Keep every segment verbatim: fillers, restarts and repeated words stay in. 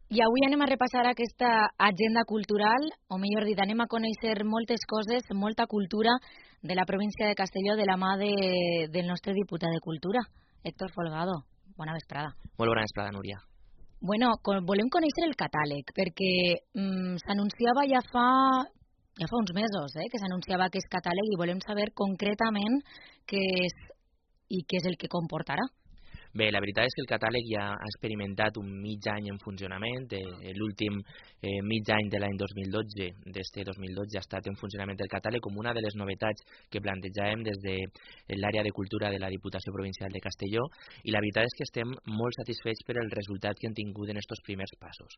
I avui anem a repassar aquesta agenda cultural, o millor dit, anem a conèixer moltes coses, molta cultura de la província de Castelló de la mà de, del nostre diputat de Cultura, Héctor Folgado. Bona vesprada. Molt bona vesprada, Núria. Bueno, con, volem conèixer el catàleg, perquè mm, s'anunciava ja fa, ja fa uns mesos eh, que s'anunciava aquest catàleg i volem saber concretament què és i què és el que comportarà. Bé, la veritat és que el catàleg ja ha experimentat un mig any en funcionament. Eh, L'últim eh, mig any de l'any dos mil dotze, d'este dos mil dotze, ha estat en funcionament el catàleg com una de les novetats que plantejàvem des de l'àrea de cultura de la Diputació Provincial de Castelló, i la veritat és que estem molt satisfets per el resultat que hem tingut en estos primers passos.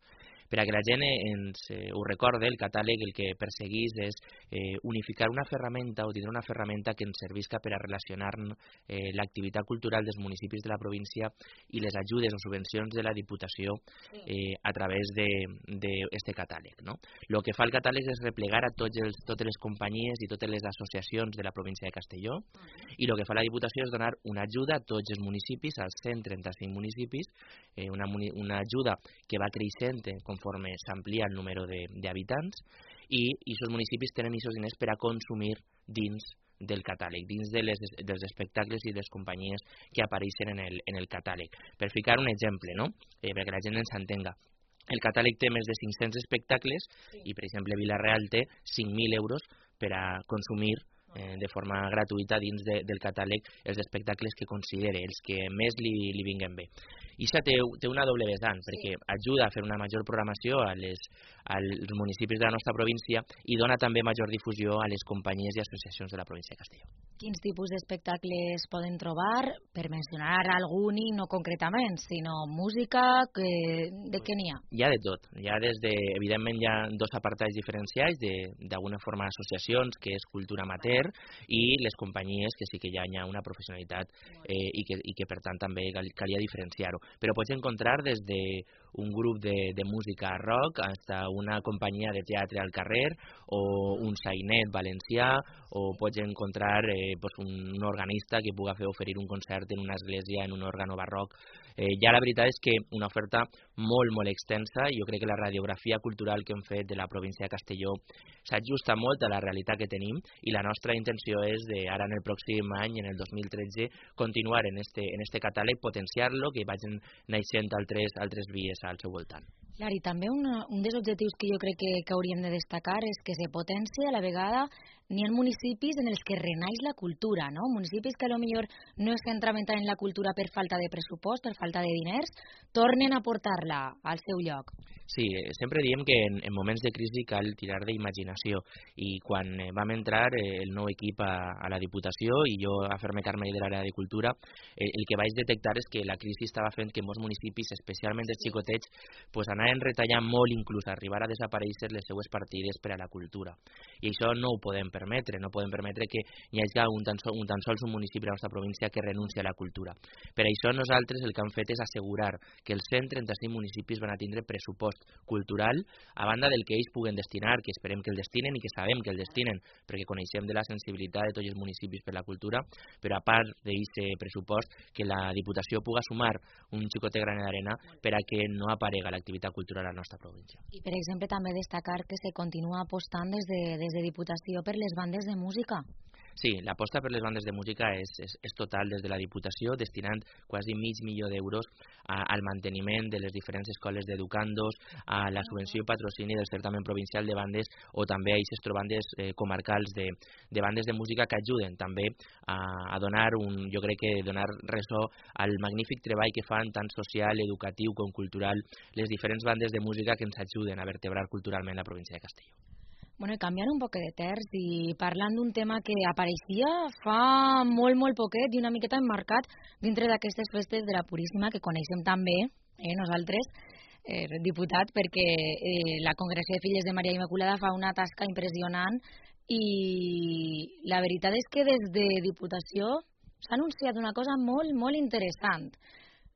Per a que la gent ens eh, ho recorde, el catàleg el que perseguís és eh, unificar una ferramenta o tindre una ferramenta que ens servisca per a relacionar eh, l'activitat cultural dels municipis de la província i les ajudes o subvencions de la Diputació eh, a través d'aquest catàleg. No? El que fa el catàleg és replegar a tots els, totes les companyies i totes les associacions de la província de Castelló, i el que fa la Diputació és donar una ajuda a tots els municipis, als cent trenta-cinc municipis, eh, una, una ajuda que va creixent conforme s'amplia el número d'habitants, i aquests municipis tenen aquests diners per a consumir dins del catàleg, dins de les, dels espectacles i de les companyies que apareixen en el, en el catàleg. Per ficar un exemple, no? eh, perquè la gent ens entenga. El catàleg té més de cinc-cents espectacles sí. i, per exemple, Vila-real té cinc mil euros per a consumir eh, de forma gratuïta dins de, del catàleg els espectacles que considere, els que més li, li vinguen bé. I això té, té una doble vessant, perquè ajuda a fer una major programació a les, als municipis de la nostra província i dona també major difusió a les companyies i associacions de la província de Castelló. Quins tipus d'espectacles poden trobar? Per mencionar algun i no concretament, sinó música, que, de què n'hi ha? Hi ha de tot. Hi ha des de, evidentment, hi ha dos apartats diferenciats, d'alguna forma associacions, que és cultura amateur, i les companyies, que sí que ja hi ha una professionalitat eh, i, que, i que, per tant, també cal, calia diferenciar-ho. Però pots encontrar des d'un grup de, de música rock hasta una companyia de teatre al carrer o un sainet valencià, o pots encontrar eh, pues un organista que pugui fer oferir un concert en una església, en un òrgano barroc. Eh, ja la veritat és que una oferta molt, molt extensa, i jo crec que la radiografia cultural que hem fet de la província de Castelló s'ajusta molt a la realitat que tenim, i la nostra intenció és, de, ara en el pròxim any, en el dos mil tretze, continuar en este, en este catàleg, potenciar-lo, que vagin naixent altres, altres vies al seu voltant. Clar, i també una, un dels objectius que jo crec que, que hauríem de destacar és que se potencia a la vegada n'hi ha municipis en els que renaix la cultura, no? Municipis que a lo millor no es centraven tant en la cultura per falta de pressupost, per falta de diners, tornen a portar-la al seu lloc. Sí, sempre diem que en, en moments de crisi cal tirar d'imaginació, i quan eh, vam entrar eh, el nou equip a, a la Diputació i jo a fer-me càrrec de l'àrea de cultura, eh, el que vaig detectar és que la crisi estava fent que molts municipis, especialment els xicotets, pues anaven retallant molt, inclús arribar a desaparèixer les seues partides per a la cultura. I això no ho podem permetre, no podem permetre que hi hagi un tan, sol, un tan sols un municipi de la nostra província que renuncia a la cultura. Per això nosaltres el que hem fet és assegurar que els cent trenta-cinc municipis van a tindre pressupost cultural, a banda del que ells puguen destinar, que esperem que el destinen i que sabem que el destinen, perquè coneixem de la sensibilitat de tots els municipis per la cultura, però a part d'aquest pressupost, que la Diputació puga sumar un xicotet granet d'arena per a que no aparega l'activitat cultural a la nostra província. I, per exemple, també destacar que se continua apostant des de, des de Diputació per les bandes de música. Sí, l'aposta per les bandes de música és, és, és total des de la Diputació, destinant quasi mig milió d'euros al manteniment de les diferents escoles d'educandos, a la subvenció i patrocini del certamen provincial de bandes, o també a aquestes bandes eh, comarcals de, de bandes de música que ajuden també a, a donar un, jo crec que donar ressò al magnífic treball que fan tant social, educatiu com cultural les diferents bandes de música que ens ajuden a vertebrar culturalment la província de Castelló. Bueno, i canviant un poquet de terç i parlant d'un tema que apareixia fa molt, molt poquet i una miqueta emmarcat dintre d'aquestes festes de la Puríssima que coneixem també, eh, nosaltres, eh, diputat, perquè eh, la Congregació de Filles de Maria Immaculada fa una tasca impressionant, i la veritat és que des de Diputació s'ha anunciat una cosa molt, molt interessant.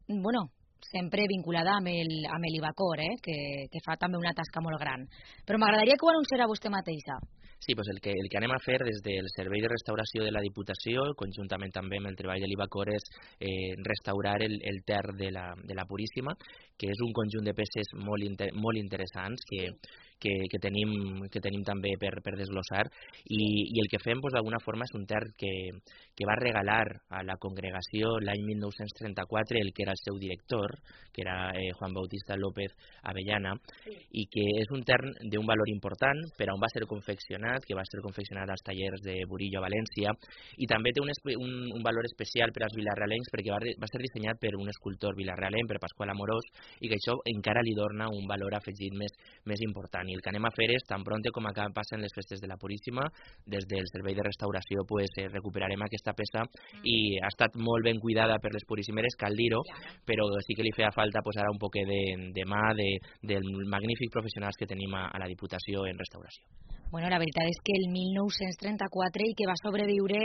Bueno, sempre vinculada amb el, amb l'Ibacor, eh? que, que fa també una tasca molt gran. Però m'agradaria que ho anunciara vostè mateixa. Sí, doncs el que, el que anem a fer des del Servei de Restauració de la Diputació, conjuntament també amb el treball de l'Ibacor, és eh, restaurar el, el ter de la, de la Puríssima, que és un conjunt de peces molt, inter, molt interessants que, que, que, tenim, que tenim també per, per desglossar, i, i el que fem doncs, d'alguna forma és un ter que, que va regalar a la congregació l'any mil nou-cents trenta-quatre el que era el seu director, que era eh, Juan Bautista López Avellana, sí. I que és un ter d'un valor important per on va ser confeccionat, que va ser confeccionat als tallers de Burillo a València, i també té un, un, un valor especial per als vilarrealencs perquè va, va ser dissenyat per un escultor vilarrealenc, per Pasqual Amorós, i que això encara li dona un valor afegit més, més important. I el que anem a fer és, tan pronte com acá passen les festes de la Puríssima, des del Servei de Restauració pues, eh, recuperarem aquesta peça, mm. i ha estat molt ben cuidada per les puríssimeres, cal dir-ho, però sí que li feia falta pues, ara un poc de, de mà de, del magnífics professionals que tenim a, a la Diputació en restauració. Bueno, la veritat és que el mil nou-cents trenta-quatre i que va sobreviure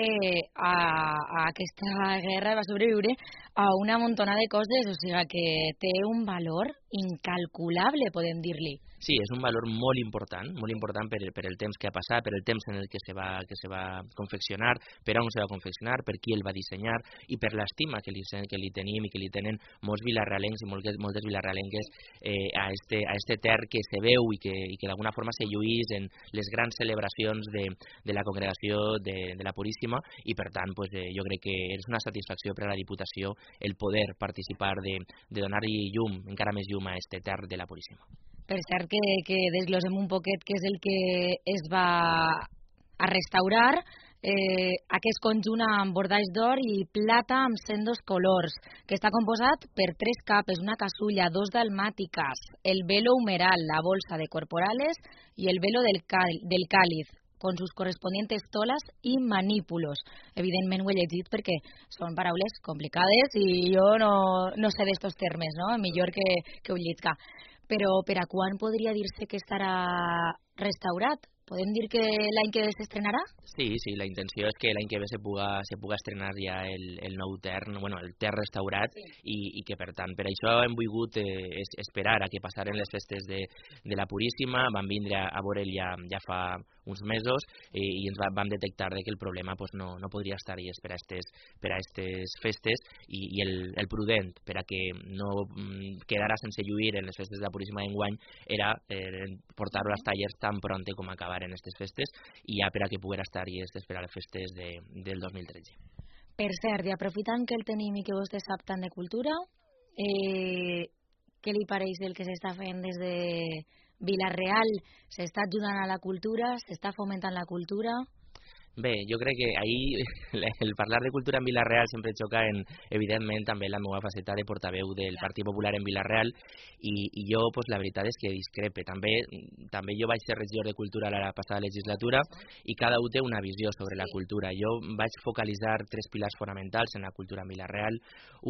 a, a aquesta guerra, va sobreviure a una montona de coses, o sigui que té un valor incalculable, podem dir-li. Sí, és un valor molt important, molt important per, per el temps que ha passat, per el temps en el que se va, que se va confeccionar, per on se va confeccionar, per qui el va dissenyar i per l'estima que li, que li tenim i que li tenen molts vilarrealencs i moltes, moltes vilarrealenques eh, a, este, a este ter que se veu i que, i que d'alguna forma se lluís en les grans celebracions de, de la congregació de, de la Puríssima, i per tant pues, eh, jo crec que és una satisfacció per a la Diputació el poder participar de, de donar-hi llum, encara més llum a este ter de la Puríssima. Per cert, que, que desglosem un poquet què és el que es va a restaurar, eh, aquest conjunt amb bordalls d'or i plata amb sendos colors, que està composat per tres capes, una casulla, dos dalmàtiques, el velo humeral, la bolsa de corporales y el velo del, del cáliz, con sus correspondientes tolas y manípulos. Evidentment ho he llegit perquè són paraules complicades i jo no, no sé d'estos termes, no? Millor que, que ho llisca. Però per a quan podria dir-se que estarà restaurat? Podem dir que l'any que ve s'estrenarà? Sí, sí, la intenció és que l'any que ve se puga, se puga estrenar ja el, el nou ter, bueno, el ter restaurat, sí. i, i que per tant, per això hem volgut eh, esperar a que passaren les festes de, de la Puríssima, vam vindre a, a veure'l ja, ja fa uns mesos i, i ens va, vam detectar que el problema pues, no, no podria estar ahí per a estes, per a estes festes, i, i el, el prudent per a que no mm, quedara sense lluir en les festes de la Puríssima d'enguany era eh, portar-ho als tallers tan pronte com acabar en aquestes festes i ja per a que poguera estar i esperar les festes de, del dos mil tretze. Per cert, i aprofitant que el tenim i que vostè sap tant de cultura, eh, què li pareix del que s'està fent des de Vila-real? S'està ajudant a la cultura? S'està fomentant la cultura? Bé, jo crec que ahir el parlar de cultura en Vila-real sempre xoca en, evidentment, també la meva faceta de portaveu del Partit Popular en Vila-real i, i jo, pues, la veritat és que discrepe. També, també jo vaig ser regidor de cultura la passada legislatura i cada un té una visió sobre la cultura. Jo vaig focalitzar tres pilars fonamentals en la cultura en Vila-real.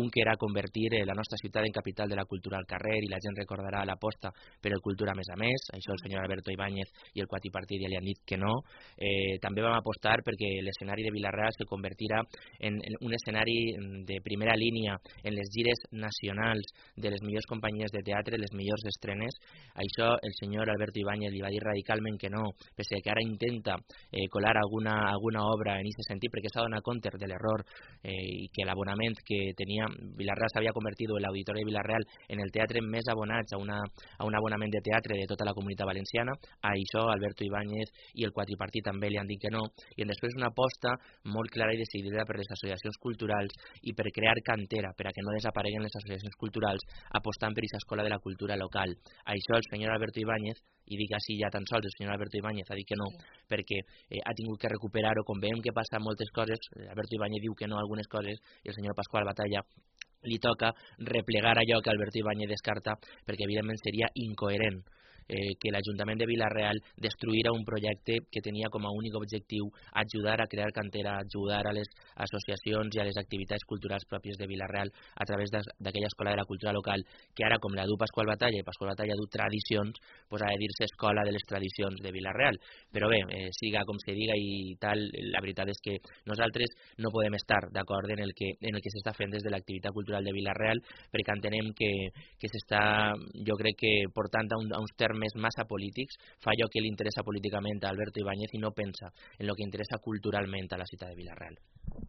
Un que era convertir la nostra ciutat en capital de la cultura al carrer i la gent recordarà l'aposta per el cultura més a més. Això el senyor Alberto Ibáñez i el quadripartit ja li han dit que no. Eh, també vam apostar perquè l'escenari de Vila-real se convertirà en, en un escenari de primera línia en les gires nacionals de les millors companyies de teatre, les millors estrenes. Això el senyor Alberto Ibáñez li va dir radicalment que no, pese que ara intenta eh, colar alguna, alguna obra en aquest sentit, perquè s'ha donat compte de l'error eh, i que l'abonament que tenia Vila-real s'havia convertit en l'auditori de Vila-real en el teatre més abonats a, una, a un abonament de teatre de tota la comunitat valenciana. A això Alberto Ibáñez i el quadripartit també li han dit que no, i després una aposta molt clara i decidida per les associacions culturals i per crear cantera, per a que no desapareguen les associacions culturals, apostant per aquesta escola de la cultura local. Això el senyor Alberto Ibáñez, i dic així ja tan sols, el senyor Alberto Ibáñez ha dit que no, sí. perquè eh, ha tingut que recuperar-ho, com veiem que passa moltes coses, Alberto Ibáñez diu que no a algunes coses, i el senyor Pasqual Batalla li toca replegar allò que Alberto Ibáñez descarta, perquè evidentment seria incoherent eh, que l'Ajuntament de Vila-real destruïra un projecte que tenia com a únic objectiu ajudar a crear cantera, ajudar a les associacions i a les activitats culturals pròpies de Vila-real a través d'aquella escola de la cultura local, que ara, com la du Pasqual Batalla, i Pasqual Batalla du tradicions, pues ha de dir-se escola de les tradicions de Vila-real. Però bé, eh, siga com se diga i tal, la veritat és que nosaltres no podem estar d'acord en el que, en el que s'està fent des de l'activitat cultural de Vila-real, perquè entenem que, que s'està, jo crec que portant a, un, a uns termes massa polítics, fa allò que li interessa políticament a Alberto Ibáñez i no pensa en el que interessa culturalment a la ciutat de Vila-real.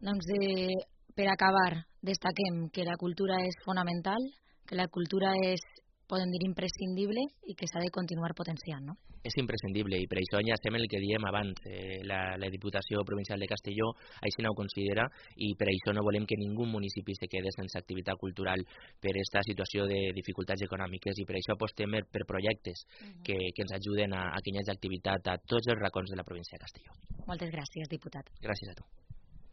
Doncs eh, per acabar, destaquem que la cultura és fonamental, que la cultura és, podem dir, imprescindible i que s'ha de continuar potenciant, no? És imprescindible i per això ja estem el que diem abans. Eh, la, la Diputació Provincial de Castelló així no ho considera i per això no volem que ningú municipi se quede sense activitat cultural per aquesta situació de dificultats econòmiques i per això apostem per projectes uh-huh. que, que ens ajuden a, a que hi hagi activitat a tots els racons de la província de Castelló. Moltes gràcies, diputat. Gràcies a tu.